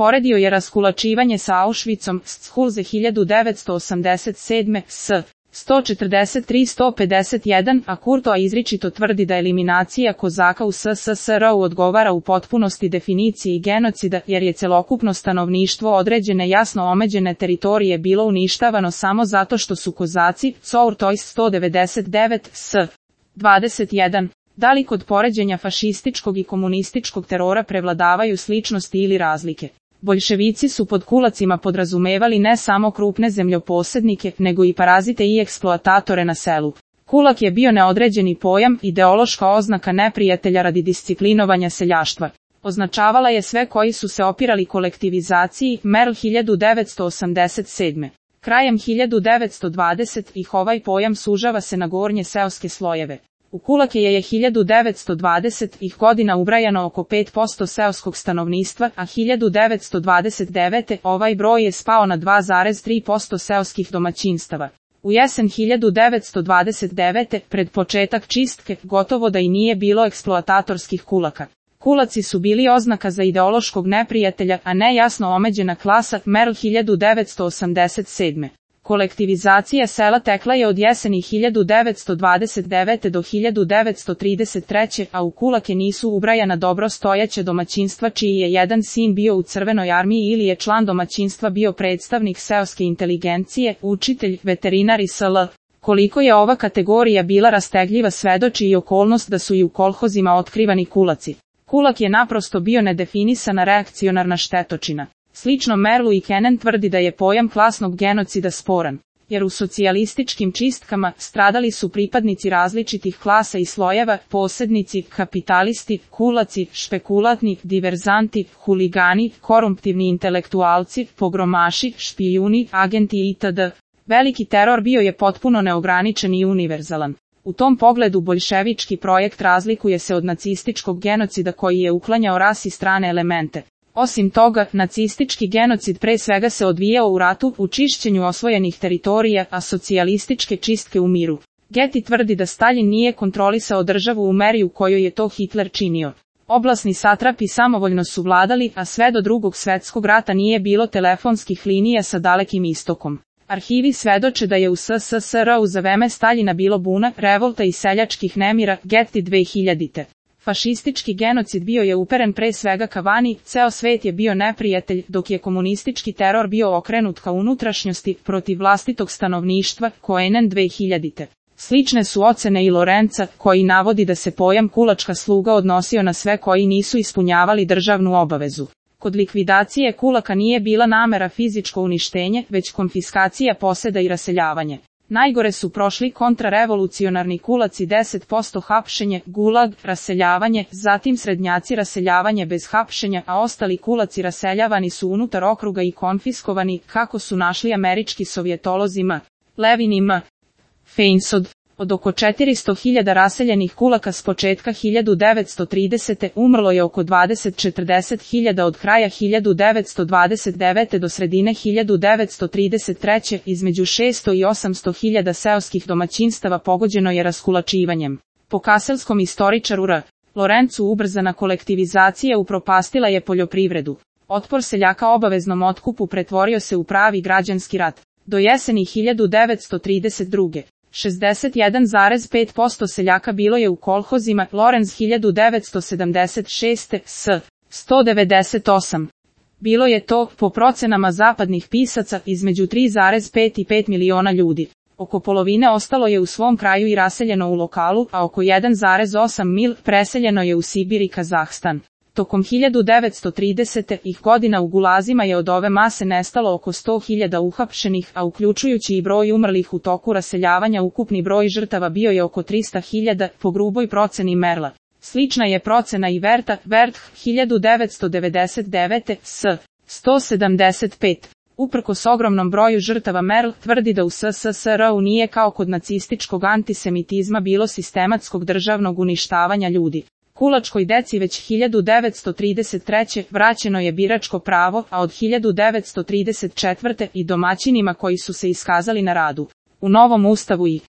Poredio je raskulačivanje sa Auschwitzom, Schulze 1987. s. 143-151, a Kurtoa izričito tvrdi da eliminacija Kozaka u SSSR-u odgovara u potpunosti definiciji genocida, jer je celokupno stanovništvo određene jasno omeđene teritorije bilo uništavano samo zato što su Kozaci, Courtois 199 s. 21. Da li kod poređenja fašističkog i komunističkog terora prevladavaju sličnosti ili razlike? Boljševici su pod kulacima podrazumevali ne samo krupne zemljoposednike, nego i parazite i eksploatatore na selu. Kulak je bio neodređeni pojam, ideološka oznaka neprijatelja radi disciplinovanja seljaštva. Označavala je sve koji su se opirali kolektivizaciji, Merl 1987. Krajem 1920-ih ovaj pojam sužava se na gornje seoske slojeve. U kulake je 1920-ih godina ubrajano oko 5% seoskog stanovništva, a 1929. ovaj broj je spao na 2,3% seoskih domaćinstava. U jesen 1929. pred početak čistke, gotovo da i nije bilo eksploatatorskih kulaka. Kulaci su bili oznaka za ideološkog neprijatelja, a ne jasno omeđena klasa, Merl 1987. Kolektivizacija sela tekla je od jeseni 1929. do 1933. a u kulake nisu ubrajana dobro stojeća domaćinstva čiji je jedan sin bio u Crvenoj armiji ili je član domaćinstva bio predstavnik seoske inteligencije, učitelj, veterinar i sl. Koliko je ova kategorija bila rastegljiva svedoči i okolnost da su i u kolhozima otkrivani kulaci. Kulak je naprosto bio nedefinisana reakcionarna štetočina. Slično Merlu i Kennan tvrdi da je pojam klasnog genocida sporan, jer u socijalističkim čistkama stradali su pripadnici različitih klasa i slojeva, posednici, kapitalisti, kulaci, špekulatni, diverzanti, huligani, korumptivni intelektualci, pogromaši, špijuni, agenti itd. Veliki teror bio je potpuno neograničen i univerzalan. U tom pogledu boljševički projekt razlikuje se od nacističkog genocida koji je uklanjao ras i strane elemente. Osim toga, nacistički genocid pre svega se odvijao u ratu, u čišćenju osvojenih teritorija, a socijalističke čistke u miru. Getty tvrdi da Stalin nije kontrolisao državu u meri u kojoj je to Hitler činio. Oblasni satrapi samovoljno su vladali, a sve do Drugog svjetskog rata nije bilo telefonskih linija sa Dalekim istokom. Arhivi svedoče da je u SSSR-u za vreme Staljina bilo buna, revolta i seljačkih nemira, Getty 2000. Fašistički genocid bio je uperen pre svega ka vani, ceo svet je bio neprijatelj, dok je komunistički teror bio okrenut ka unutrašnjosti, protiv vlastitog stanovništva, Koenen 2000. Slične su ocene i Lorenca, koji navodi da se pojam kulačka sluga odnosio na sve koji nisu ispunjavali državnu obavezu. Kod likvidacije kulaka nije bila namera fizičko uništenje, već konfiskacija poseda i raseljavanje. Najgore su prošli kontrarevolucionarni kulaci 10% hapšenje, gulag, raseljavanje, zatim srednjaci raseljavanje bez hapšenja, a ostali kulaci raseljavani su unutar okruga i konfiskovani, kako su našli američki sovjetolozi M. Levin i M. Feinsod. Od oko 400.000 raseljenih kulaka s početka 1930. umrlo je oko 20-40.000 od kraja 1929. do sredine 1933. Između 600 i 800.000 seoskih domaćinstava pogođeno je raskulačivanjem. Po kaselskom istoričaru R. Lorencu ubrzana kolektivizacija upropastila je poljoprivredu. Otpor seljaka obaveznom otkupu pretvorio se u pravi građanski rat. Do jeseni 1932. 61,5% seljaka bilo je u kolhozima, Lorenz 1976. s. 198. Bilo je to, po procenama zapadnih pisaca, između 3,5 i 5 miliona ljudi. Oko polovine ostalo je u svom kraju i raseljeno u lokalu, a oko 1,8 mil preseljeno je u Sibir i Kazahstan. Tokom 1930. godina u gulazima je od ove mase nestalo oko 100.000 uhapšenih, a uključujući i broj umrlih u toku raseljavanja ukupni broj žrtava bio je oko 300.000, po gruboj proceni Merla. Slična je procena i Werth 1999. s. 175. Uprkos ogromnom broju žrtava Merl tvrdi da u SSSR-u nije kao kod nacističkog antisemitizma bilo sistematskog državnog uništavanja ljudi. Kulačkoj deci već 1933. vraćeno je biračko pravo, a od 1934. i domaćinima koji su se iskazali na radu. U novom ustavu i